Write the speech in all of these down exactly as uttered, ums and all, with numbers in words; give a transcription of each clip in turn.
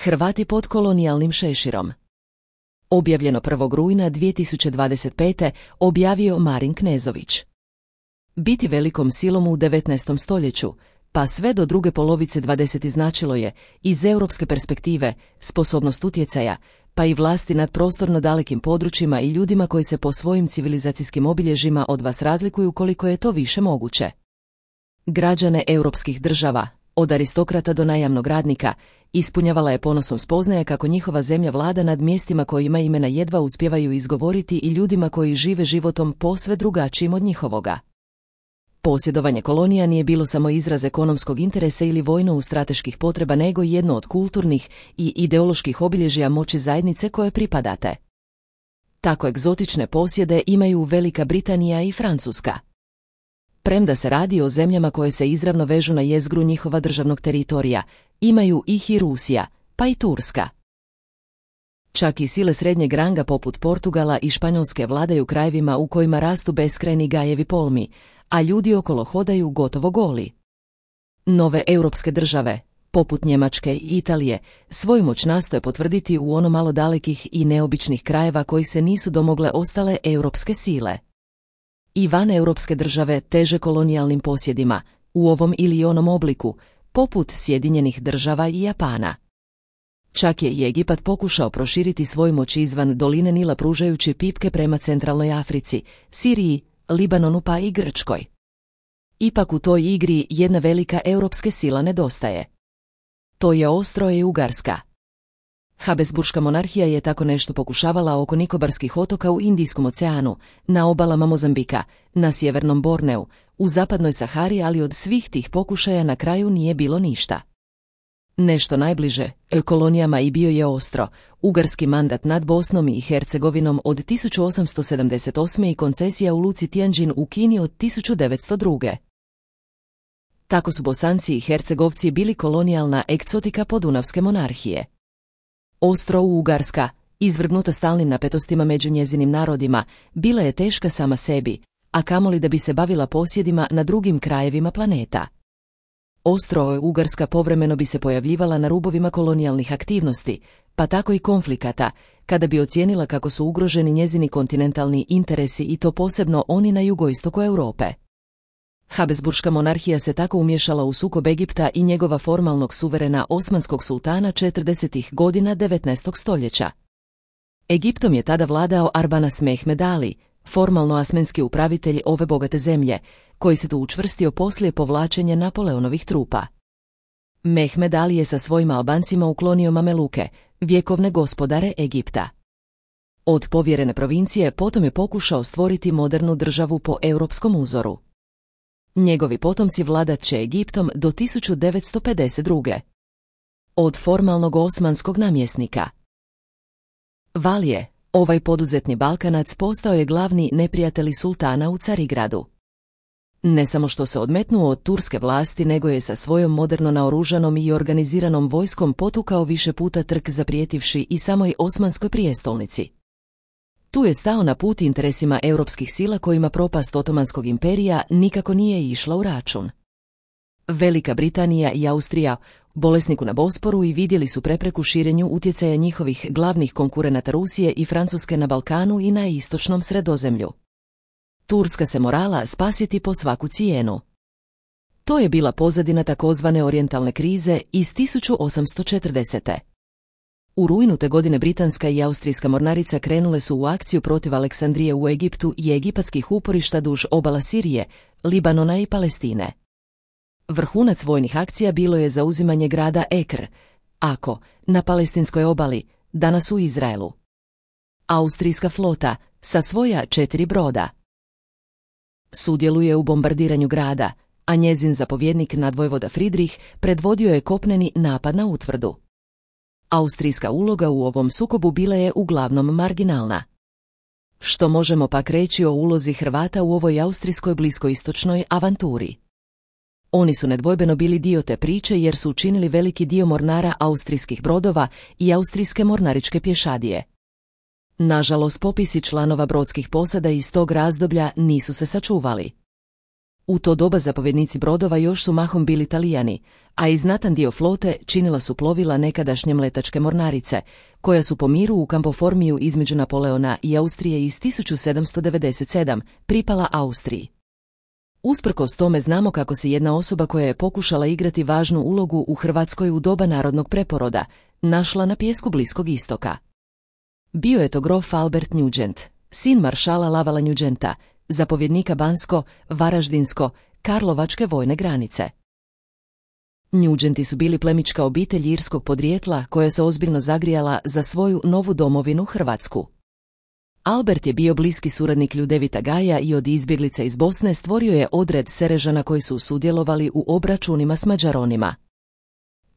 Hrvati pod kolonijalnim šeširom. Objavljeno prvog rujna dvije tisuće dvadeset pete. objavio Marin Knezović. Biti velikom silom u devetnaestom stoljeću, pa sve do druge polovice dvadesetog značilo je, iz europske perspektive, sposobnost utjecaja, pa i vlasti nad prostorno dalekim područjima i ljudima koji se po svojim civilizacijskim obilježjima od vas razlikuju koliko je to više moguće. Građane europskih država, od aristokrata do najamnog radnika, ispunjavala je ponosom spoznaja kako njihova zemlja vlada nad mjestima kojima imena jedva uspijevaju izgovoriti i ljudima koji žive životom posve drugačijim od njihovoga. Posjedovanje kolonija nije bilo samo izraz ekonomskog interesa ili vojno-strateških potreba, nego i jedno od kulturnih i ideoloških obilježja moći zajednice koje pripadate. Tako egzotične posjede imaju Velika Britanija i Francuska. Premda se radi o zemljama koje se izravno vežu na jezgru njihova državnog teritorija, imaju ih i Rusija, pa i Turska. Čak i sile srednjeg ranga poput Portugala i Španjolske vladaju krajevima u kojima rastu beskrajni gajevi polmi, a ljudi okolo hodaju gotovo goli. Nove europske države, poput Njemačke i Italije, svoju moć nastoje potvrditi u ono malo dalekih i neobičnih krajeva kojih se nisu domogle ostale europske sile. I van europske države teže kolonijalnim posjedima, u ovom ili onom obliku, poput Sjedinjenih država i Japana. Čak je i Egipat pokušao proširiti svoju moć izvan doline Nila pružajući pipke prema centralnoj Africi, Siriji, Libanonu pa i Grčkoj. Ipak u toj igri jedna velika europska sila nedostaje. To je Austro-Ugarska. Habsburška monarhija je tako nešto pokušavala oko Nikobarskih otoka u Indijskom oceanu, na obalama Mozambika, na sjevernom Borneu, u zapadnoj Sahari, ali od svih tih pokušaja na kraju nije bilo ništa. Nešto najbliže kolonijama i bio je Austro-Ugarski mandat nad Bosnom i Hercegovinom od tisuću osamsto sedamdeset osme. i koncesija u luci Tianjin u Kini od tisuću devetsto druge. Tako su Bosanci i Hercegovci bili kolonijalna egzotika podunavske monarhije. Austro-Ugarska, izvrgnuta stalnim napetostima među njezinim narodima, bila je teška sama sebi, a kamoli da bi se bavila posjedima na drugim krajevima planeta. Austro-Ugarska povremeno bi se pojavljivala na rubovima kolonijalnih aktivnosti, pa tako i konflikata, kada bi ocijenila kako su ugroženi njezini kontinentalni interesi i to posebno oni na jugoistoku Europe. Habsburška monarhija se tako umješala u sukob Egipta i njegova formalnog suverena osmanskog sultana četrdesetih godina devetnaestog stoljeća. Egiptom je tada vladao Arbanas Mehmed Ali, formalno asmenski upravitelj ove bogate zemlje, koji se tu učvrstio poslije povlačenja Napoleonovih trupa. Mehmed Ali je sa svojim Albancima uklonio Mameluke, vjekovne gospodare Egipta. Od povjerene provincije potom je pokušao stvoriti modernu državu po europskom uzoru. Njegovi potomci vladat će Egiptom do tisuću devetsto pedeset druge. Od formalnog osmanskog namjesnika. Valije, ovaj poduzetni Balkanac, postao je glavni neprijatelj sultana u Carigradu. Ne samo što se odmetnuo od turske vlasti, nego je sa svojom moderno naoružanom i organiziranom vojskom potukao više puta trk zaprijetivši i samoj osmanskoj prijestolnici. Tu je stao na put interesima europskih sila kojima propast Otomanskog imperija nikako nije išla u račun. Velika Britanija i Austrija, bolesniku na Bosporu, i vidjeli su prepreku širenju utjecaja njihovih glavnih konkurenata Rusije i Francuske na Balkanu i na istočnom Sredozemlju. Turska se morala spasiti po svaku cijenu. To je bila pozadina takozvane orijentalne krize iz tisuću osamsto četrdesete. U rujnu te godine britanska i austrijska mornarica krenule su u akciju protiv Aleksandrije u Egiptu i egipatskih uporišta duž obala Sirije, Libanona i Palestine. Vrhunac vojnih akcija bilo je zauzimanje grada Ekr, Ako, na palestinskoj obali, danas u Izraelu. Austrijska flota, sa svoja četiri broda, sudjeluje u bombardiranju grada, a njezin zapovjednik nadvojvoda Friedrich predvodio je kopneni napad na utvrdu. Austrijska uloga u ovom sukobu bila je uglavnom marginalna. Što možemo pak reći o ulozi Hrvata u ovoj austrijskoj bliskoistočnoj avanturi? Oni su nedvojbeno bili dio te priče jer su učinili veliki dio mornara austrijskih brodova i austrijske mornaričke pješadije. Nažalost, popisi članova brodskih posada iz tog razdoblja nisu se sačuvali. U to doba zapovjednici brodova još su mahom bili Talijani, a i znatan dio flote činila su plovila nekadašnje mletačke mornarice, koja su po miru u Kampoformiju između Napoleona i Austrije iz tisuću sedamsto devedeset sedam pripala Austriji. Usprkos tome znamo kako se jedna osoba koja je pokušala igrati važnu ulogu u Hrvatskoj u doba narodnog preporoda našla na pijesku Bliskog istoka. Bio je to grof Albert Nugent, sin maršala Lavala Nugenta, zapovjednika Bansko, Varaždinsko, Karlovačke vojne granice. Nugenti su bili plemićka obitelj irskog podrijetla koja se ozbiljno zagrijala za svoju novu domovinu Hrvatsku. Albert je bio bliski suradnik Ljudevita Gaja i od izbjeglica iz Bosne stvorio je odred Serežana koji su sudjelovali u obračunima s Mađaronima.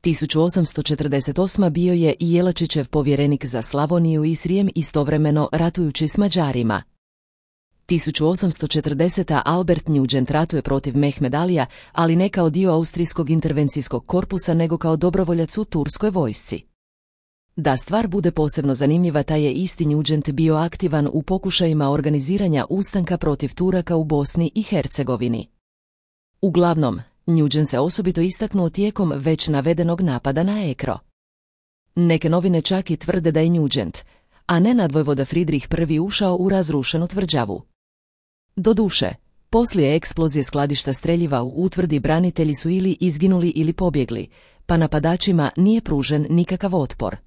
tisuću osamsto četrdeset osme. bio je i Jelačićev povjerenik za Slavoniju i Srijem istovremeno ratujući s Mađarima. tisuću osamsto četrdesete. Albert Nugent ratuje protiv Mehmed Alija, ali ne kao dio austrijskog intervencijskog korpusa nego kao dobrovoljac u turskoj vojsci. Da stvar bude posebno zanimljiva, taj je isti Nugent bio aktivan u pokušajima organiziranja ustanka protiv Turaka u Bosni i Hercegovini. Uglavnom, Nugent se osobito istaknuo tijekom već navedenog napada na Ekro. Neke novine čak i tvrde da je Nugent, a ne nadvojvoda Fridrih I. ušao u razrušenu tvrđavu. Doduše, poslije eksplozije skladišta streljiva u utvrdi branitelji su ili izginuli ili pobjegli, pa napadačima nije pružen nikakav otpor.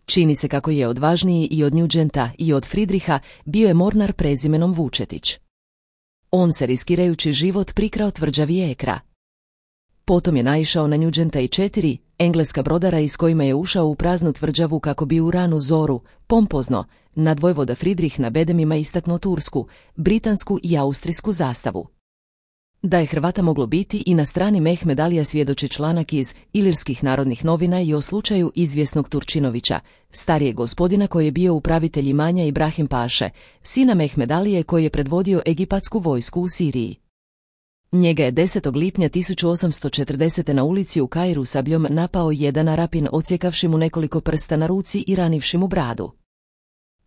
Čini se kako je odvažniji i od Nugenta i od Fridriha bio je mornar prezimenom Vučetić. On se riskirajući život prikrao tvrđavi Ekra. Potom je naišao na Nugenta i četiri engleska brodara iz kojima je ušao u praznu tvrđavu kako bi u ranu zoru, pompozno, nadvojvoda Fridrih na bedemima istaknuo tursku, britansku i austrijsku zastavu. Da je Hrvata moglo biti i na strani Mehmed Alija svjedoči članak iz Ilirskih narodnih novina i o slučaju izvjesnog Turčinovića, starijeg gospodina koji je bio upravitelj imanja Ibrahim Paše, sina Mehmed Alije koji je predvodio egipatsku vojsku u Siriji. Njega je desetog lipnja tisuću osamsto četrdesete. na ulici u Kairu sabljom napao jedan Arapin, odsjekavši mu nekoliko prsta na ruci i ranivši mu bradu.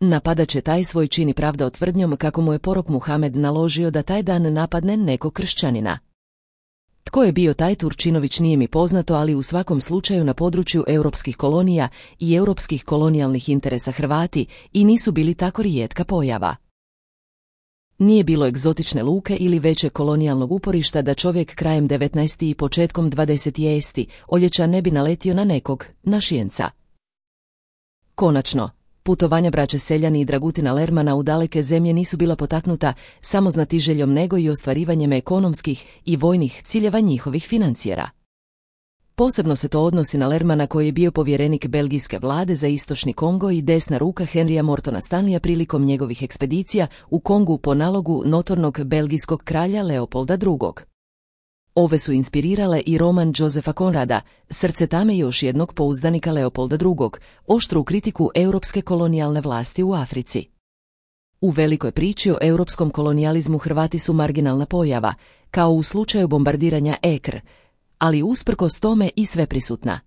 Napadač je taj svoj čin pravdao tvrdnjom kako mu je porok Muhamed naložio da taj dan napadne nekog kršćanina. Tko je bio taj Turčinović nije mi poznato, ali u svakom slučaju na području europskih kolonija i europskih kolonijalnih interesa Hrvati i nisu bili tako rijetka pojava. Nije bilo egzotične luke ili većeg kolonijalnog uporišta da čovjek krajem devetnaestog i početkom dvadesetog oljeća ne bi naletio na nekog našijenca. Konačno, putovanja braće Seljani i Dragutina Lermana u daleke zemlje nisu bila potaknuta samo znatiželjom nego i ostvarivanjem ekonomskih i vojnih ciljeva njihovih financijera. Posebno se to odnosi na Lermana koji je bio povjerenik belgijske vlade za istočni Kongo i desna ruka Henrya Mortona Stanleya prilikom njegovih ekspedicija u Kongu po nalogu notornog belgijskog kralja Leopolda drugog. Ove su inspirirale i roman Josefa Konrada, Srce tame još jednog pouzdanika Leopolda drugog, oštru kritiku europske kolonijalne vlasti u Africi. U velikoj priči o europskom kolonijalizmu Hrvati su marginalna pojava, kao u slučaju bombardiranja Ekr, ali usprkos tome i sveprisutna.